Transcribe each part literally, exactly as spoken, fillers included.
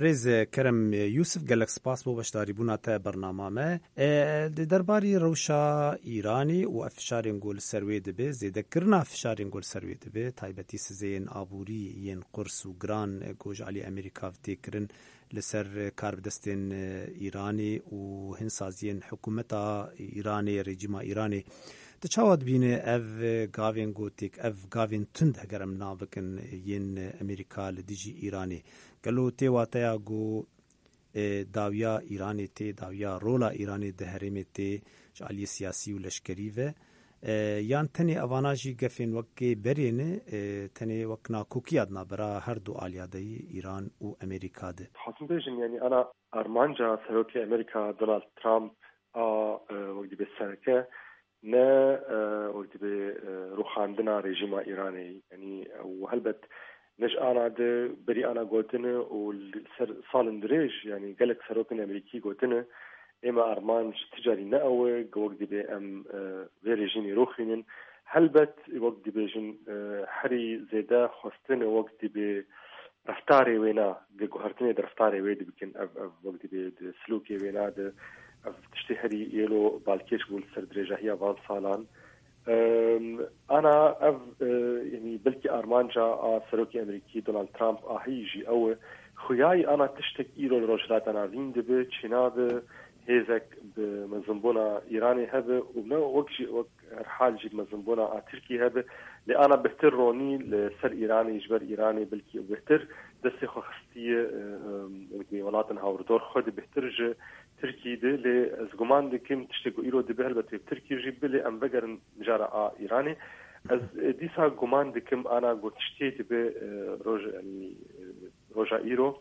Rêz Kerem Yûsif, gelek spas bo beşdarîbûna te bernama me. E, di derbarî rewşa Îranê û ev fişarên ku li ser wê dibe, zêdekirina fişarên ku li ser wê dibe, taybetî sizeyên aborî yên qurs û giran, e, ku ji alî Amerîka tê kirin li ser karbidestên, e, Îranê û hin saziyên hikûmeta Îranê, rejîma Îranê. Tu çawa dibîne ev gavên ku têk, ev gavên tund, heger em nav bikin, yên Amerîka li dijî Îranê? Gelo tê wateya ku, e, dawiya Îranê tê, dawiya rola Îranê di herêmê tê ji aliyê siyasî û leşkerî ve, e, yan tenê evana jî gefên wekê berê ne, e, tenê wek nakokiya di navbera her du aliya de yî, Îran û Amerîka de? Dixwazim bêjim, yanî ana armanca Serokê Amerîka Donald Trump a, e, wek dibê sereke ne, e, wek dibê, e, rûxandina rejîma Îranê. Yanî, e, û helbet ne ji ana de berî ana gotine û li ser salên dirêj, yanî gelek serokên Amerîkî gotine, ê me armanc ti carî ne ew e, wek dibê em, e, vê rejîmê rûxînin. Helbet, wek dibêjin, e, herî zêde xwestine wek dibê reftarê wêna, di guhertinê di reftarê wê dibikin, ev, ev wek dibê di silûkê wêna de, ev tiştê herî yêlo balkêş bû li ser dirêjahiya van salan. Em, ana ev, e, yanî belkî armanca a Serokê Amerîkî Donald Trump a heyî jî ew e, xuyayî ana tiştek îro li Rojhilata Navîn dibe, çênabe hêzek bi mezinbûna Îranê hebe û ne wek jî wek herhal jî mezinbûna a Tirkî hebe, lê ana bihtir ronî li ser Îranê, ji ber Îranê belkî bihtir destê xwe xistiye, e, e, wekî welatên hawirdor xwe de bihtir ji Tirkî de, lê ez guman dikim tiştê ku îro dibe helbet wê bi Tirkî jî bibe, lê em vegerin mijara a Îranê. Ez, e, dîsa guman dikim ana ku tiştê dibe, e, roj, yanî, e, roja îro,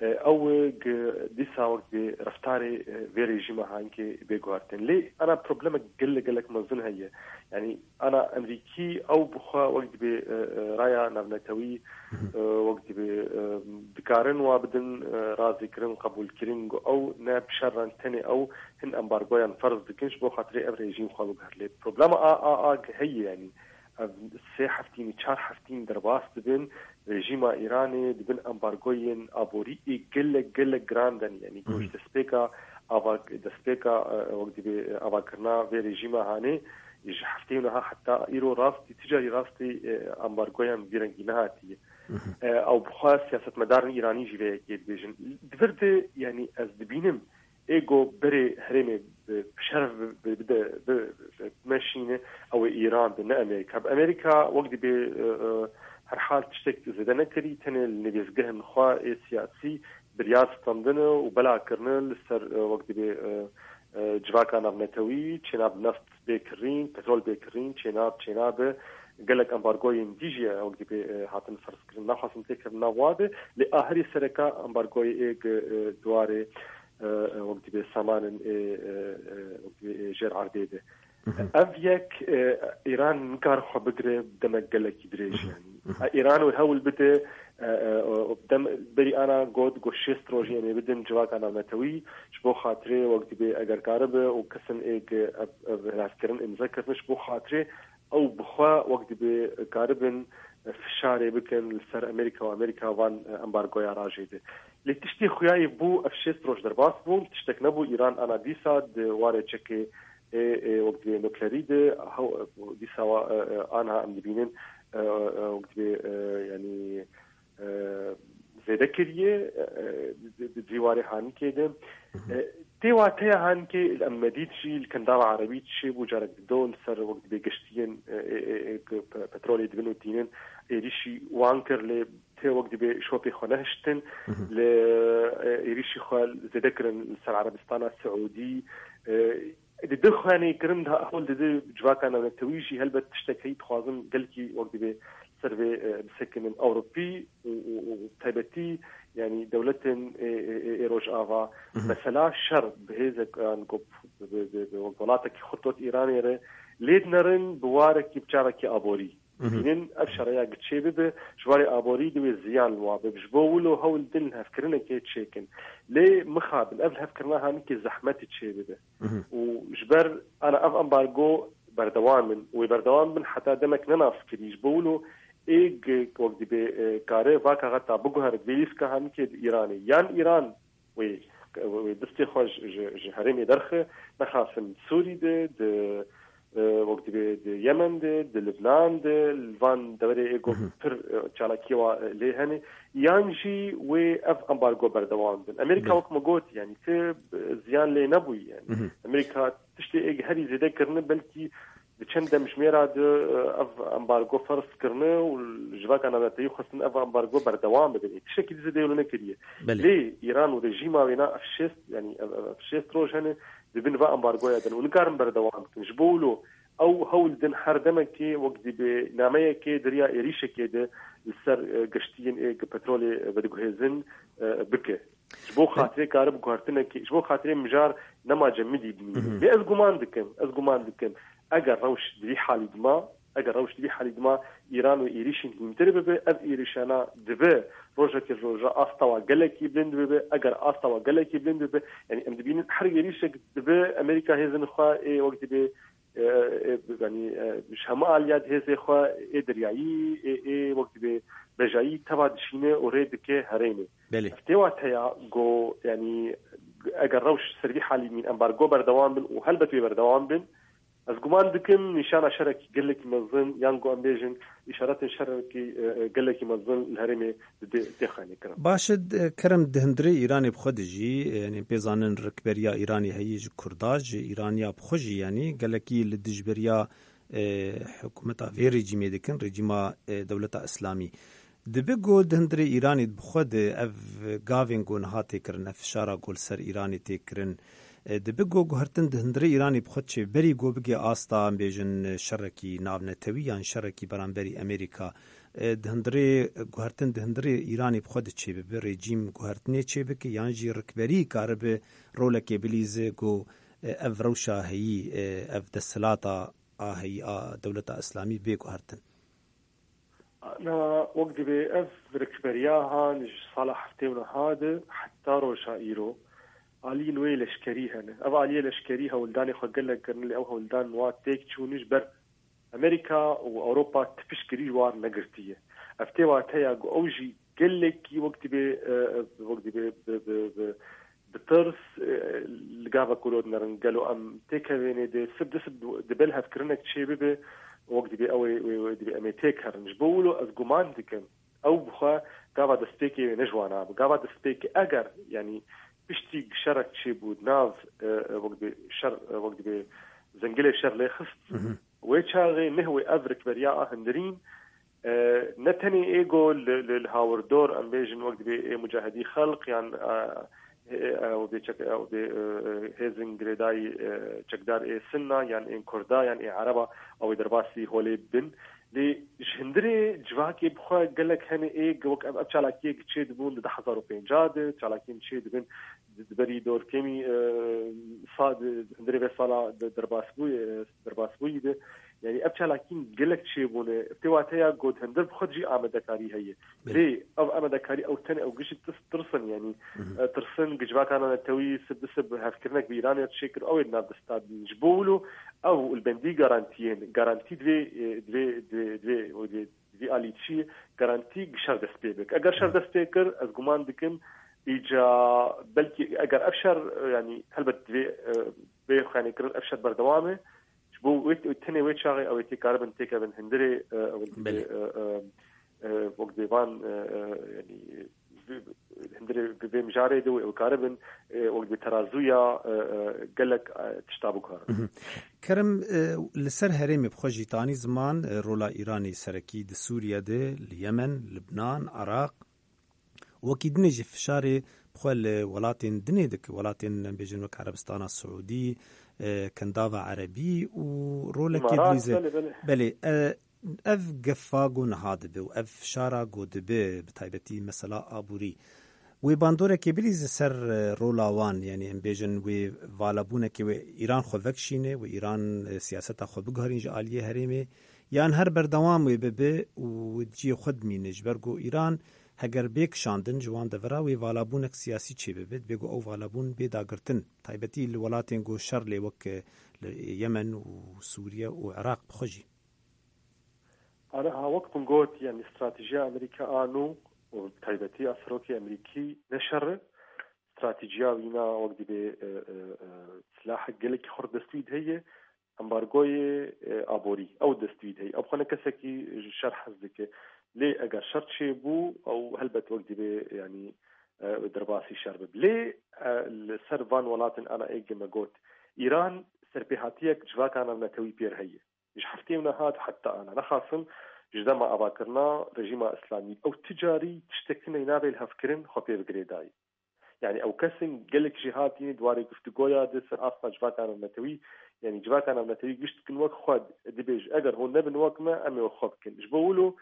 e, ew, e, gi-, dîsa wek dibê reftarê, e, vê rejîma hankê bê guhertin. Lê ana problemek gelek, gelek mezin heye. Yanî ana Amerîkî ew bi xwe wek dibê, e, e, raya navnetewî, e, wek dibê, e, dikarin wa bidin, e, razîkirin, qebûlkirin, ku ew ne bi şer re tenê ew hin embargoyan ferz dikin, ji bo xatirê ev rejîm xwe biguher. Lê problema a, a, a heye, yanî ev sê heftîn, çar heftîn derbas dibin, rejîma Îranê dibin embargoyên aborî ê gelek, gelek giran den, yanî ku ji destpêka ava-, destpêka, e, wek dibê, e, avakirina vê rejîma hanê, ji hefteyê niha heta îro rastî, ticarî rastî, e, embargoyan vî rengî nehatiye. E, ew bi xwe siyasetmedarên Îranî jî vê yekê dibêjin. Di vir de, yanî ez dibînim, ê ku berê herêmê bi, bi şeref bi, bi, bide, bi, bi, bimeşîne, ew ê Îran be, ne Amerîka. Bi Amerîka wek dibê, e, e, herhal tiştek zêde nekirî, tenê li nivîzgehên xwe ê siyasî biryar standine û bela kirine li ser, e, wek dibê, e, e, civaka navnetewî, çênab neft bê kirîn, petrol bê kirîn, çênab, çênabe gelek embargoyên dî jî wek dibê, e, hatin ferzkirin. Naxwazim têkevim nav wa de, lê a herî sereka embargoyê ê gi, e, di warê, e, e, wek dibê samanên ê, e, e, wek dibê ê jêr erdê de. Ev yek, e, Îran nikare xwe bigire demek gelekî dirêj, yanî. E, Îran wê hewl bide, e, e, o, dem, berî ana got, got şêst rojî em ê bidin civaka navnetewî, ji bo xatirê wek dibê eger karibe û kesin ê gi ev, ev hilafkirin imze kirine, ji bo xatirê ew bi xwe wek dibê karibin, e, fişarê bikin li ser Amerîka û Amerîka van, e, embargoya rajê de. Lê tiştê xuyayê bû, ev şêst roj derbas bûn, tiştek nebû, Îran ana dîsa di warê çekê ê, ê, wek dibê nuklerî de, hew, dîsa wa, e, e, anha em dibînin, e, e, wek dibê, e, yanî, e, zêde kiriye, e, e, di, di, di cîwarê Hanikê de. E, tê wateya Hanikê, em medît jî li Kendava Erebî çêbû, carek dido li ser wek dibê geştiyên, e, e, e, e, ku pe-, petrolê dibin û tînin, êrîşî wan kir, lê tê wek dibê şopê xwe nehiştin, li, e, êrîşî xwe zêde kirin li ser Erebistana Siûdî. E, di du xwenê kirin, da hewl dide civaka navnetewî jî helbet tiştek heyî dixwazin gelkî wek dibê ser vê, e, bisekinin Ewropî û, û, û taybetî, yanî dewletên ê, ê, ê, ê Rojava. Mesela şer bi hêzek, yan ku bi, bi, bi, bi wek welatekî xurt wek Îranê re lê dinerin bi warekî bi çavekî aborî. Bînin ev şereya gi çê bibe, ji warê aborî divê ziyan li wa bibe. Ji bo wilo hewl din lihevkirinekê çêkin. Lê mixabin, ev lihevkirina Hanikê zehmetî çê bibe. Û ji ber ana ev embargo berdewam in. Wê berdewam bin heta demek ne naskirî. Ji bo wilo ê wek dibê kare vaka xeta biguhere di vê lîstika hemikê di Îranê. Yan Îran wê wê destê xwe ji herêmê derxe, nexasim Sûrî de, di wek dibê di Yemen de, di Libnan de, li van deverê ê ku pir çalakiyê wa lê hene, yan jî wê ev ambargo berdewam bin. Amerîka wek me got, yanî ti ziyan lê nebûyî. Yanî Amerîka tiştê ê herî zêde kirine, belkî di çend demjimêra de ev ambargo ferz kirine û civaka navnetewî xwestin ev ambargo berdewam bibin. Ê tiştekî dî zêde wilo nekiriye. Lê Îran û rejîma wêna ev şêst, yanî ev, ev, ev şêst roj hene, di bin va ambargoya de ne û nikarin berdewam bikin. Ji bo wilo ew hewl din her demekê wek dibê nameyekê di riya êrîşekê de li ser, e, geştiyên ê ku petrolê vediguhêzin, e, bike. Ji bo xatirê kare bi guhertinekê, ji bo xatirê mijar nema cemidî bimîne. Lê ez guman dikim, ez guman dikim, eger rewş di vî halî dima, eger rewş di vî halî dima, Îran wê êrîşên hîntir bibe, ev êrîşana dibe rojekê ji roja asta wa gelekî bilind bibe, eger asta wa gelekî bilind bibe, yanî em dibînin her êrîşek dibe Amerîka hêzin xwe ê wek dibê, e, e, yanî, e, ji hemû aliya di hêzê xwe ê deryayî, ê, ê wek dibê bejayî teva dişîne û rê dike herêmê. Belê. Ev tê wateya ku, yanî, eger rewş ser vî halî mîn, embargo berdewam bin û helbet wê berdewam bin, ez guman dikim nîşana şerekî gelekî mezin, yan ku em bêjin îşaretên şerekî, e, e, gelekî mezin li herêmê dê, dê xanîkirin. Baş e, d-, Kerem, di hundirê Îranê bi xwe de jî, e, yanî pê zanin rikberiya Îranê heyî ji Kurda, ji Îraniya bi xwe jî, yanî gelekî li dijberiya, e, hikûmeta vê rejîmê dikin, rejîma, e, Dewleta Îslamî. Dibe ku di hundirê Îranê bi xwe de ev gavên ku niha tê kirin, ev fişara ku li ser Îranê tê kirin, e, dibe ku guhertin di hundirê Îranê bi xwe çê berî ku bigê asta, em bêjin, şerekî navnetewî yan şerekî beramberî Amerîka, e, di hundirê, guhertin di hundirê Îranê bi xwe de çê bibe, rejîm guhertinê çê bike, yan jî rikberî karibe rolekê bilîze ku, e, ev rewşa heyî, e, ev desthilata a heyî a Dewleta Îslamî bê guhertin? Na, wek dibê ev rikberiya han ji sala heftê û neh de heta roja îro aliyên wê leşkerî hene. Ev aliyê leşkerî hewldanê xwe gelek kirin, lê ew hewldan wa têk çûn ji ber Amerîka û Ewropa tipişkirî ji wan negirtiye. Ev tê wateya ku ew jî gelekî wek dibê, e, wek dibê bi, bi, bi, bi tirs, e, li gava ku lo dinerin, gelo em têkevênê de sib di sib di ber hevkirinek çê bibe, wek dibê ew ê, wê, wê dibê em ê têk herin. Ji bo wilo ez guman dikim, ew bi xwe gava destpêkê wê ne ji wana be. Gava destpêkê eger, yanî piştî şerek çêbû di nav, e, e, wek dibê şer, e, wek dibê zengilê şer lê xist, wê çaxê neh wê ev rikberiya a hundirîn, e, ne tenê ê ku li, li, li hawirdor, em bêjin, wek dibê ê mucahidî xelq yan, e, ê, ew bê çek-, ew bê, e, hêzin girêdayî, e, çekdar ê Sinna yan ên Kurda yan ê Ereba, ew ê derbasî holê bin. Lê ji hundirê civakê bi xwe gelek hene ê ku wek ev, ev çalakiyê ku çê dibûn di du hezar û pêncah de, çalakiyên çê dibin di, di berî dorkêmî, e, sa-, di, di hundirê vê sala de derbasbûyî, e, derbasbûyî de. Yanî ev çalakiyên gelek çêbûne. Ev tê wateya ku di hundir bi xwe jî amadekarî heye. Belê. Lê ev amadekarî ew tenê ew gişt tis-, tirsin, yanî, e, tirsin ku civaka navnetewî sib bi sib hevkirinek bi Îranê çêkir, ew ê di nav desta din. Ji bo wilo ew li bendî garantiyên, garantî divê, e, divê, divê, divê, divê vî alî çi garantî şer dest pê bik. Eger şer dest pê kir, ez guman dikim, îca belkî eger ev şer, e, yanî helbet divê, e, bê xanîkirin ev şer berdewam e. Ji bo wê, tenê wê çaxê ew ê tê karibin têkevin hundirê, e, ew ê, Belê. e, e, e, wek dê van, e, e, yanî, vê, hundirê vê mijarê de wê ew karibin, e, wek dê terazûya, e, e, gelek, e, tişta bikarin. Mhm. Kerem, e, li ser herêmê bi xwe jî tanî ziman, e, rola Îranê serekî di Sûriye de, li Yemen, Libnan, Iraq, wekî dinê jî fişarê bi xwe li welatên dinê dike, welatên, em bêjin, wek Erebistana Siûdî, e, Kendava Erebî û rolekê Îmarat, dilîze. Belê, belê. Belê, e, ev gefa ku niha dibe û ev fişara ku dibe, bi taybetî mesela aborî, wê bandorekê bilîze ser, e, rola wan, yanî em bêjin wê valabûnekê wê Îran xwe vekişîne, wê Îran, e, siyaseta xwe biguherîn ji aliyê herêmê, yan her berdewam wê bibe û cihê xwe dimîne, ji ber ku Îran heger bê kişandin ji wan devera wê valabûnek siyasî çêbibe, dibê ku ew valabûn bê dagirtin, taybetî li welatên ku şer lê wek, e, li Yemen û Sûriye û Iraq bi xwe jî. Ana ha wek min got, yani stratejiya Amerîka a nû û bi taybetî a serokê Amerîkî ne şer e. Stratejiya wîna wek dibê, e, e, e, silahek gelekî xurt dest wî de heye, embargoyê, e, aborî, ew dest wî de heye. Ew xwe ne kesekî ji şer hez dike. Lê eger şer çêbû, ew helbet wek dibê, yani, e, derbasî şer bibe. Lê, e, li ser van welatin ana êgê me got, Îran serpêhatiyek civaka navnetewî pêr heye. Ji heftê û nehat heta ana nexasim ji dema avakirina rejîma îslamî ew ti carî tiştek tune navê lihevkirin xwe pê bi girêdayî. Yani ew kesin gelek jî hatî di warê giftigoya de ser asta civaka navnetewî, yani civaka navnetewî gişt dikin wek xwe, dibêj eger hûn nebin wek me, em ê wek xwe bikin. Ji bo wilo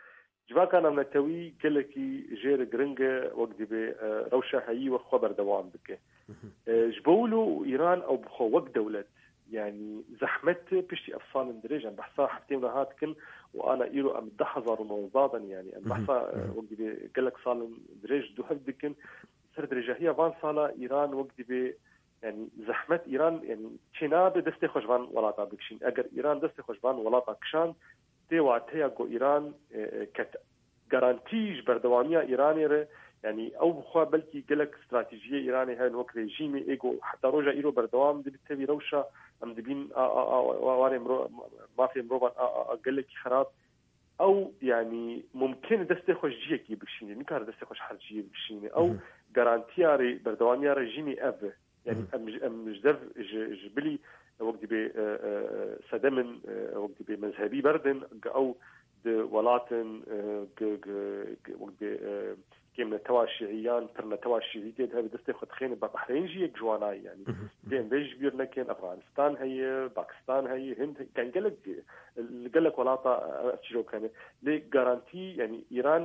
civaka navnetewî gelekî jêr giring e, wek dibê, e, rewşa heyî wek xwe berdewam bike. E, ji bo wilo û Îran ew bi xwe wek dewlet, yani zehmet piştî ev salên dirêj em behsa heftê û nehat dikin û ana îro em deh hezar û nozda de ne, yani em behsa, e, wek dibê gelek salên dirêj du hev dikin. Ser dirêjahiya van sala Îran wek dibê, yani zehmet Îran, yani çênabe destê xwe ji van welata bikişîn. Eger Îran destê xwe ji van welata kişand, tê wateya ku Îran, e, e, ket garantî ji berdewamiya Îranê re, yani ew bi xwe belkî gelek stratejiyê Îranê hene wek rejîmê ê ku heta roja îro berdewam dibe tevî rewşa em dibîn a, a, a, warê miro-, mafê mirovan a, a, a, gelekî xerab. Ew, yani mumkin e destê xwe ji ciyekî bikişîne, nikare destê xwe ji her ciyê bikişîne. Ew garantiya rê-, berdewamiya rejîmê ev e. Yani em, em ji dev ji, ji bilî wek dibê, e, e, sedemin, e, wek dibê mezhebî berdin, ew di welatin, e, gi, gi, gi, wek dibê, e, kêm netewa şiiyan, pir netewa şiî tê de hebe destê xwe dixêne be Behreyn jî yek ji wana ye, yani. Dê em vê ji bîr nekin, Efxanistan heye, Pakistan heye, Hind heye, yani gelek, li gelek welata, e, ev çîrok hene. Lê garantî, yani Îran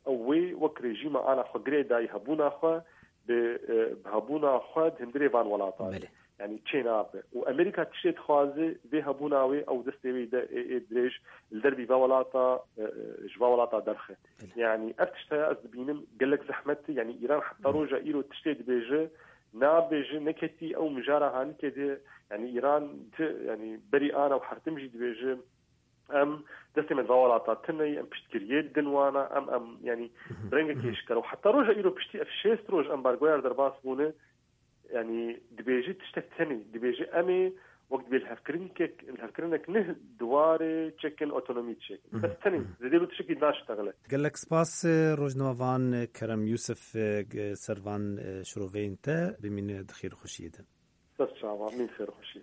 ew wê wek rejîma ana xwe girê dayî hebûna xwe bi, e, bi hebûna xwe di hundirê van welatan. Belê. Yani çê nabe. Û Amerîka tiştê dixwaze vê hebûna wê ew destê wê de ê, ê dirêj li dervî va welata, e, e, ji va welata derxe. Belê. Yani ev tişt heye ez dibînim gelek zehmet e. Yani Îran heta roja îro tiştê dibêje, nabêje, neketî ew mijara hanîkê de. Yani Îran ti, yani berî ana û hertim jî dibêje, em destê me di va welata tune ye, em piştgiriyê didin wana, em, em, yani, rengekê eşkere. Û heta roja îro piştî ev şêst roj embargoya derbas bûne, yani, dibêje tiştek tenê, dibêje em ê wek dibê lihevkirinkek, lihevkirinek ne di warê çekin otonomî çêkin. Bes tenê, zêdê bi tiştekî naştexile. Gelek spas, e, rojnamevan Kerem Yusuf, e, g-, ser van, e, şiroveyên te, bimîne di xêr û xweşiyê de. Dest çava, min xêr û xweşiyê.